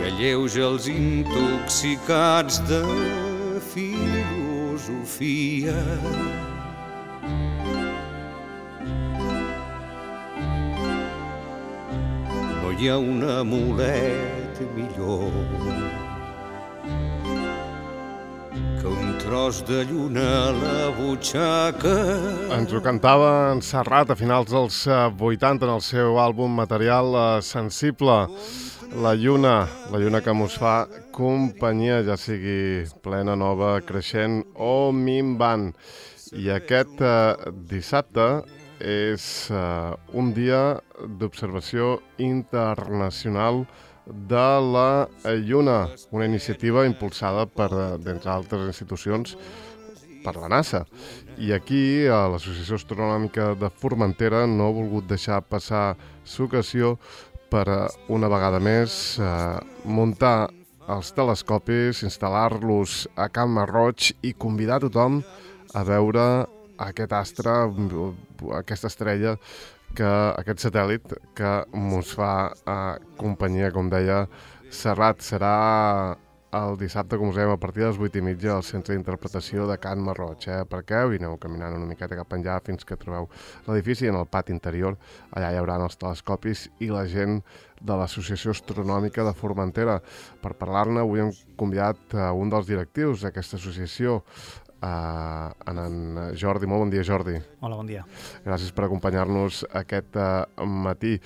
alleuja els intoxicats de filosofia. No hi ha un amulet millor que un tros de lluna a la butxaca. Ens ho cantava en Serrat a finals dels 80 en el seu àlbum Material Sensible. La lluna que mos fa companyia, ja sigui plena, nova, creixent o minvant. I aquest dissabte és un dia d'observació internacional de la lluna, una iniciativa impulsada per, d'entre altres institucions, per la NASA. I aquí, a l'Associació Astronòmica de Formentera, no ha volgut deixar passar l'ocasió per una vegada més muntar els telescopis, instal·lar-los a Can Marroig i convidar tothom a veure aquest astre, aquesta estrella, aquest satèl·lit que mos fa companyia, com deia Serrat. Serà el dissabte, com us dèiem, a partir de les 8:30 al Centre d'Interpretació de Can Marroig. Per què? I aneu caminant una miqueta cap enllà fins que trobeu l'edifici. En el pati interior, allà hi haurà els telescopis i la gent de l'Associació Astronòmica de Formentera. Per parlar-ne, avui hem convidat un dels directius d'aquesta associació, en Jordi. Molt bon dia, Jordi. Hola, bon dia. Gràcies per acompanyar-nos aquest matí.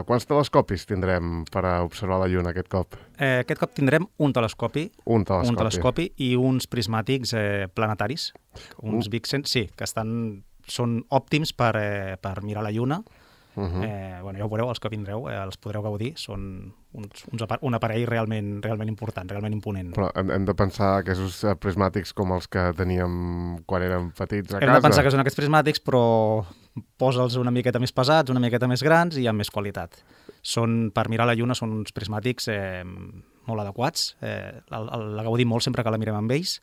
Quants telescopis tindrem per observar la lluna aquest cop? Aquest cop tindrem un telescopi i uns prismàtics planetaris, uns Vixen, sí, que són òptims per mirar la lluna. Ja ho veureu, els que vindreu, els podreu gaudir. Són un aparell realment important, realment imponent. Però hem de pensar que aquests prismàtics com els que teníem quan érem petits a casa. Hem de pensar que són aquests prismàtics, però posa'ls una miqueta més pesats, una miqueta més grans i amb més qualitat. Per mirar la lluna són uns prismàtics molt adequats. La gaudim molt sempre que la mirem amb ells.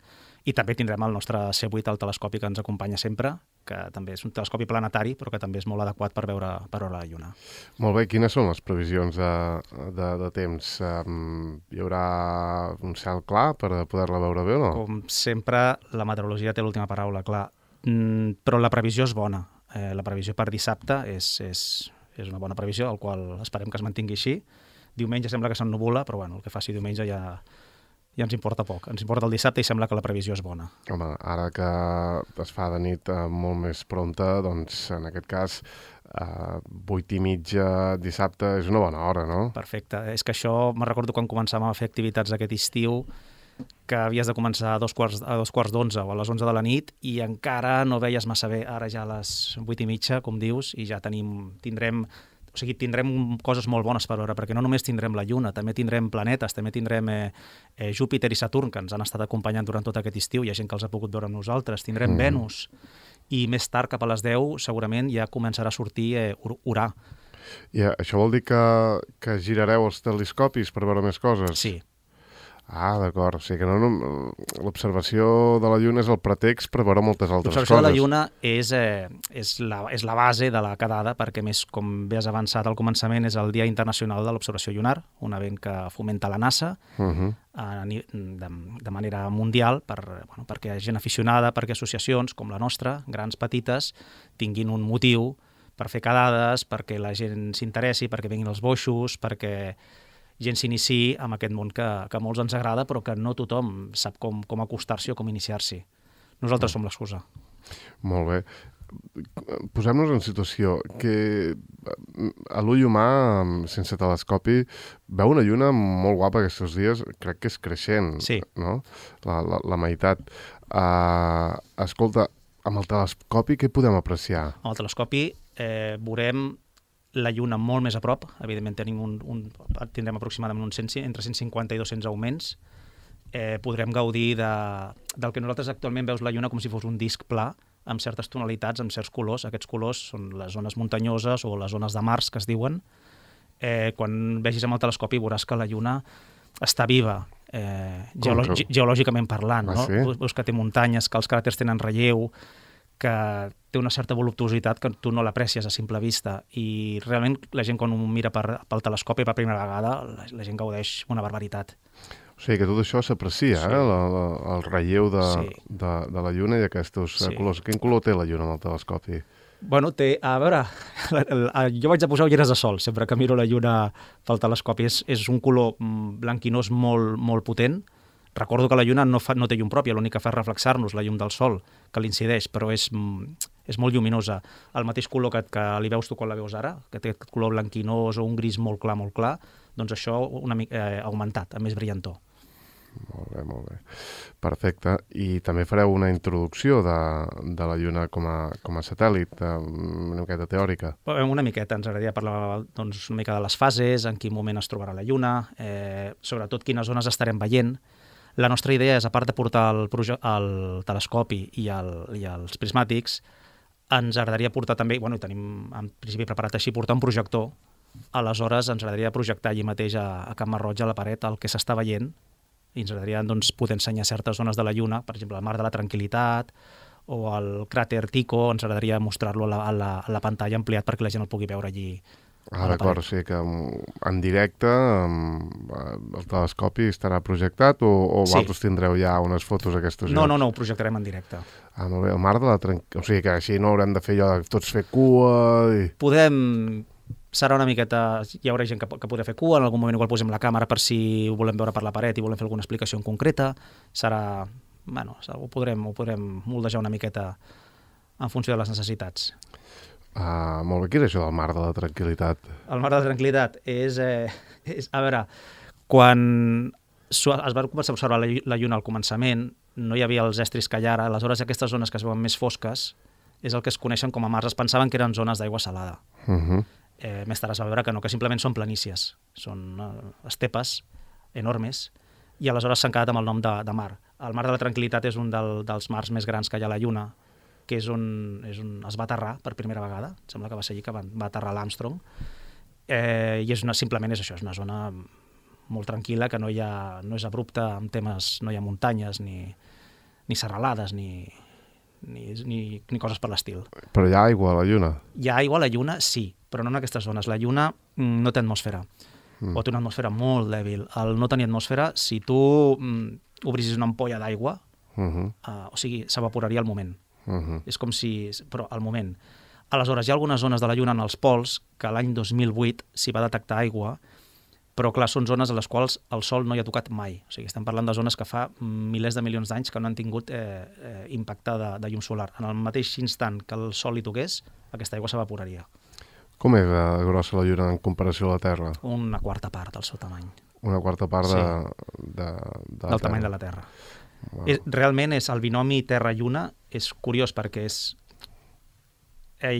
I també tindrem el nostre C8, el telescopi que ens acompanya sempre, que també és un telescopi planetari, però que també és molt adequat per veure la lluna. Molt bé, quines són les previsions de temps? Hi haurà un cel clar per poder-la veure bé o no? Com sempre, la meteorologia té l'última paraula, clar. Però la previsió és bona. La previsió per dissabte és una bona previsió, el qual esperem que es mantingui així. Diumenge sembla que s'ennubula, però el que faci diumenge ja ens importa poc. Ens importa el dissabte i sembla que la previsió és bona. Home, ara que es fa de nit molt més prompta, doncs en aquest cas 8:30 dissabte és una bona hora, no? Perfecte. És que això, me'n recordo quan començàvem a fer activitats aquest estiu, que havies de començar a dos quarts d'11 o a les 11 de la nit i encara no veies massa bé. Ara ja a les 8:30, com dius, i ja tindrem coses molt bones per veure, perquè no només tindrem la Lluna, també tindrem planetes, també tindrem Júpiter i Saturn, que ens han estat acompanyant durant tot aquest estiu, hi ha gent que els ha pogut veure amb nosaltres, tindrem Venus, i més tard, cap a les 10, segurament ja començarà a sortir Urà. I això vol dir que girareu els telescopis per veure més coses? Sí. Ah, d'acord. O sigui que l'observació de la Lluna és el pretext per veure moltes altres coses. L'observació de la Lluna és la base de la quedada, perquè, més, com bé has avançat al començament, és el Dia Internacional de l'Observació Lunar, un event que fomenta la NASA de manera mundial perquè gent aficionada, perquè associacions com la nostra, grans, petites, tinguin un motiu per fer quedades, perquè la gent s'interessi, perquè vinguin els boixos, perquè gent s'iniciï amb aquest món que a molts ens agrada, però que no tothom sap com acostar-s'hi o com iniciar-s'hi. Nosaltres som l'excusa. Molt bé. Posem-nos en situació que a l'ull humà, sense telescopi, veu una lluna molt guapa aquests dies, crec que és creixent, sí. No? La meitat. Escolta, amb el telescopi què podem apreciar? Amb el telescopi veurem la Lluna molt més a prop. Evidentment tindrem aproximadament entre 150 i 200 augments. Podrem gaudir del que nosaltres actualment veus la Lluna com si fos un disc pla, amb certes tonalitats, amb certs colors. Aquests colors són les zones muntanyoses o les zones de Mars, que es diuen. Quan vegis amb el telescopi veuràs que la Lluna està viva, geològicament parlant. No? Sí? Veus que té muntanyes, que els cràters tenen relleu, que té una certa voluptuositat que tu no l'aprecies a simple vista, i realment la gent quan ho mira pel telescopi per primera vegada, la gent gaudeix una barbaritat. O sigui que tot això s'aprecia, Sí. el relleu Sí. de la Lluna i aquests Sí. colors. Quin color té la Lluna amb el telescopi? Bueno, a veure, jo vaig a posar ulleres de sol sempre que miro la Lluna pel telescopi. És un color blanquinós molt potent. Recordo que la Lluna no té llum pròpia, l'únic que fa és reflexar-nos la llum del sol, que l'incideix, però és molt lluminosa. El mateix color que li veus tu quan la veus ara, que té aquest color blanquinós o un gris molt clar, doncs això una mica augmentat, amb més brillantor. Molt bé. Perfecte. I també fareu una introducció de la Lluna com a satèl·lit, una miqueta teòrica. Una miqueta, ens agradaria parlar doncs, una mica de les fases, en quin moment es trobarà la Lluna, sobretot quines zones estarem veient. La nostra idea és, a part de portar el telescopi i els prismàtics, ens agradaria portar també, i tenim en principi preparat així, portar un projector. Aleshores ens agradaria projectar allí mateix a Can Masroig, a la paret, el que s'està veient, i ens agradaria doncs, poder ensenyar certes zones de la Lluna, per exemple, el Mar de la Tranquil·litat o el cràter Tycho, ens agradaria mostrar-lo a la pantalla ampliat perquè la gent el pugui veure allí. D'acord, o sigui que en directe el telescopi estarà projectat o Sí. vosaltres tindreu ja unes fotos d'aquestos No, llocs? ho projectarem en directe. Molt bé, el Mar de la Tranquil·litat, o sigui que així no haurem de fer allò de tots fer cua i... Serà una miqueta... Hi haurà gent que podrà fer cua, en algun moment igual posem la càmera per si ho volem veure per la paret i volem fer alguna explicació en concreta. Serà... ho podrem moldejar una miqueta en funció de les necessitats. Molt bé, què és això del Mar de la Tranquil·litat? El Mar de la Tranquil·litat és a veure, quan es va començar a observar la Lluna al començament, no hi havia els estris que hi ha ara, aleshores aquestes zones que es veuen més fosques és el que es coneixen com a mars. Es pensaven que eren zones d'aigua salada. Més tard es va veure que no, que simplement són planícies, són estepes enormes, i aleshores s'han quedat amb el nom de mar. El Mar de la Tranquil·litat és un dels mars més grans que hi ha a la Lluna, que és on es va aterrar per primera vegada. Em sembla que va ser allí que va aterrar l'Armstrong. I simplement és això, és una zona molt tranquil·la, que no és abrupta en temes, no hi ha muntanyes, ni serralades, ni coses per l'estil. Però hi ha aigua a la Lluna? Hi ha aigua a la Lluna, sí, però no en aquestes zones. La Lluna no té atmosfera, o té una atmosfera molt dèbil. Al no tenir atmosfera, si tu obrissis una ampolla d'aigua, o sigui, s'evaporaria al moment. És com si... però al moment. Aleshores, hi ha algunes zones de la Lluna en els pols que l'any 2008 s'hi va detectar aigua, però clar, són zones a les quals el Sol no hi ha tocat mai. O sigui, estem parlant de zones que fa milers de milions d'anys que no han tingut impacte de llum solar. En el mateix instant que el Sol hi toqués, aquesta aigua s'evaporaria. Com és grossa la Lluna en comparació a la Terra? Una quarta part del seu tamany. Una quarta part Sí. del tamany de la Terra. Wow. Realment és el binomi Terra-Lluna, és curiós perquè és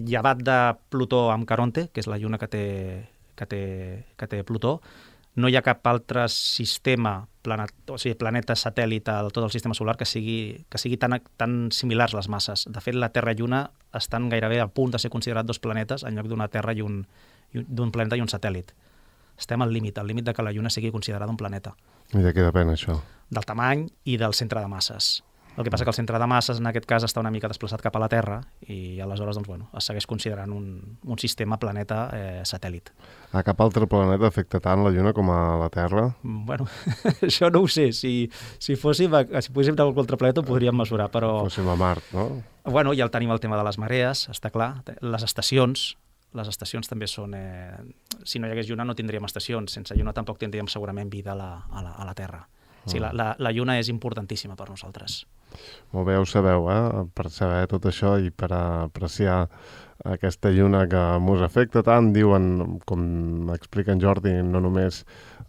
llevat de Plutó amb Caronte, que és la lluna que té Plutó, no hi ha cap altre sistema, planeta satèl·lit de tot el sistema solar que sigui tan similars les masses. De fet, la Terra i Lluna estan gairebé a punt de ser considerat dos planetes en lloc d'una Terra d'un planeta i un satèl·lit. Estem al límit de que la Lluna sigui considerada un planeta. I de què depèn això? Del tamany i del centre de masses. El que passa que el centre de masses en aquest cas està una mica desplaçat cap a la Terra i aleshores es segueix considerant un sistema planeta satèl·lit. A cap altre planeta afecta tant la Lluna com a la Terra? Bueno, això no ho sé. Si poguéssim anar a qualsevol altre planeta ho podríem mesurar, però... Fóssim a Mart, no? Bueno, ja tenim el tema de les marees, està clar. Les estacions també són... Si no hi hagués Lluna no tindríem estacions. Sense Lluna tampoc tindríem segurament vida a la Terra. Sí, la Lluna és importantíssima per nosaltres. Molt bé, ho sabeu, per saber tot això i per apreciar aquesta Lluna que mos afecta tant, diuen, com explica en Jordi, no només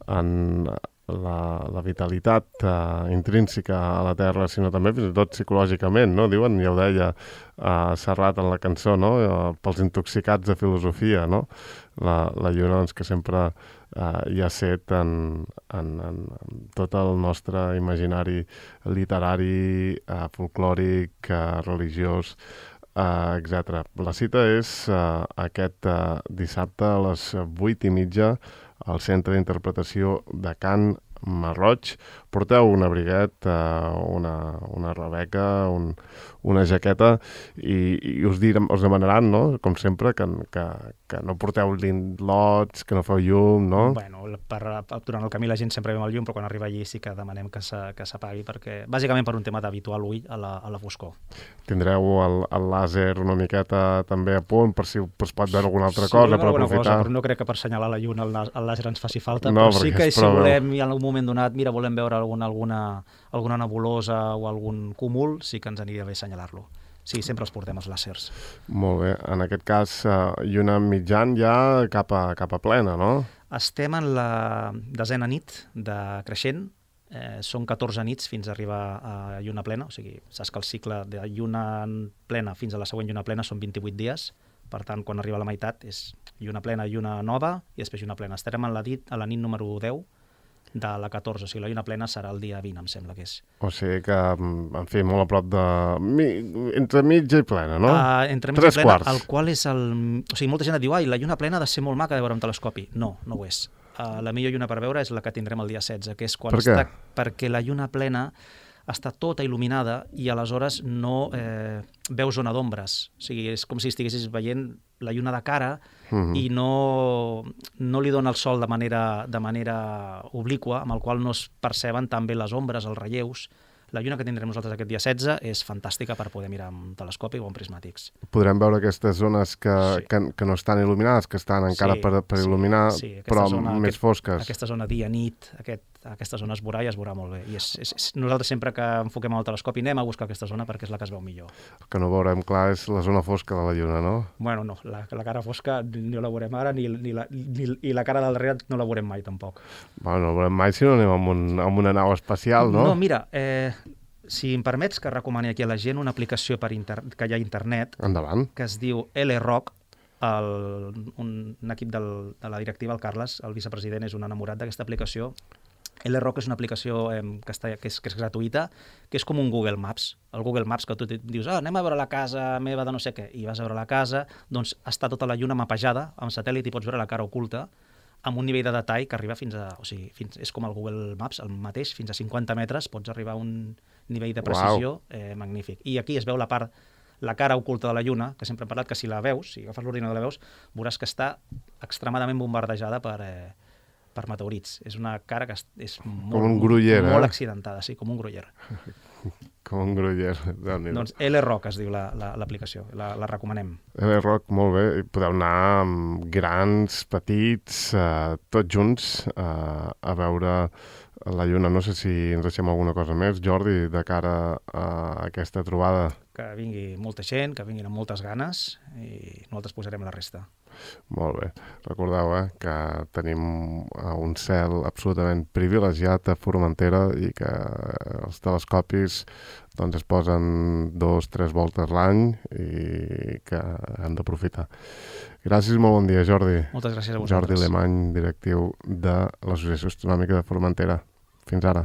en la vitalitat intrínseca a la Terra, sinó també fins i tot psicològicament, no? Diuen, ja ho deia Serrat en la cançó, no? Pels intoxicats de filosofia, no? La Lluna, doncs, que sempre hi ha set en tot el nostre imaginari literari, folclòric, religiós, etc. La cita és aquest dissabte a les 8:30 al Centre d'Interpretació de Can mar Roig. Porteu un abriguet, una rebeca, una jaqueta i us demanaran, no?, com sempre, que no porteu linlots, que no feu llum, no? Bueno, durant el camí la gent sempre veu el llum, però quan arriba allí sí que demanem que s'apagui, perquè bàsicament per un tema d'habituar l'ull a la foscor. Tindreu el làser una miqueta també a punt per si es pot veure alguna altra cosa per aprofitar. Però no crec que per assenyalar la lluna el làser ens faci falta, no, però sí que si volem, i en algun moment donat, volem veure alguna nebulosa o algun cúmul, sí que ens aniria bé assenyalar-lo. Sí, sempre els portem els làsers. Molt bé. En aquest cas, lluna mitjan ja cap a plena, no? Estem en la 10a nit de creixent. Són 14 nits fins a arribar a lluna plena. O sigui, saps que el cicle de lluna plena fins a la següent lluna plena són 28 dies. Per tant, quan arriba a la meitat és lluna plena, lluna nova i després lluna plena. Estarem a la nit número 10 de la 14, o sigui, la lluna plena serà el dia 20, em sembla que és. O sigui que, en fi, molt a prop de... entre mitja i plena, no? Entre mitja i plena, el qual és el... O sigui, molta gent et diu, la lluna plena ha de ser molt maca de veure amb telescopi. No, no ho és. La millor lluna per veure és la que tindrem el dia 16, que és quan per què? Perquè la lluna plena està tota il·luminada i aleshores no veus zona d'ombres. O sigui, és com si estiguessis veient la lluna de cara i no li dona el sol de manera obliqua, amb el qual no es perceben tan bé les ombres, els relleus. La lluna que tindrem nosaltres aquest dia 16 és fantàstica per poder mirar amb telescopi o amb prismàtics. Podrem veure aquestes zones que no estan il·luminades, que estan encara per il·luminar, però més fosques. Aquesta zona dia-nit, aquesta zona es veurà i es veurà molt bé. I nosaltres sempre que enfoquem el telescopi anem a buscar aquesta zona perquè és la que es veu millor. El que no veurem clar és la zona fosca de la lluna, no? Bueno, no, la cara fosca no la veurem ara i la cara del darrere no la veurem mai tampoc. Bueno, no la veurem mai si no anem amb una nau espacial, no? No, mira, si em permets que recomani aquí a la gent una aplicació que hi ha a internet. Endavant. Que es diu LRock. Un equip de la directiva, el Carles, el vicepresident, és un enamorat d'aquesta aplicació. LRock és una aplicació que és gratuïta, que és com un Google Maps. El Google Maps que tu dius, anem a veure la casa meva de no sé què, i vas a veure la casa, doncs està tota la lluna mapejada amb satèl·lit i pots veure la cara oculta amb un nivell de detall que arriba fins a... O sigui, és com el Google Maps, el mateix, fins a 50 metres pots arribar a un nivell de precisió magnífic. I aquí es veu la cara oculta de la lluna, que sempre hem parlat que si la veus, si agafes l'ordinador i la veus, veuràs que està extremadament bombardejada per meteorits. És una cara que és molt accidentada, sí, com un gruyer. Com un gruyer. Doncs LRock es diu l'aplicació, la recomanem. LRock, molt bé. Podeu anar amb grans, petits, tots junts a veure la lluna. No sé si ens deixem alguna cosa més, Jordi, de cara a aquesta trobada. Que vingui molta gent, que vinguin amb moltes ganes i nosaltres posarem la resta. Molt bé. Recordeu que tenim un cel absolutament privilegiat a Formentera i que els telescopis es posen 2-3 voltes l'any i que hem d'aprofitar. Gràcies, molt bon dia, Jordi. Moltes gràcies a vosaltres. Jordi Alemany, directiu de l'Associació Astronòmica de Formentera. Fins ara.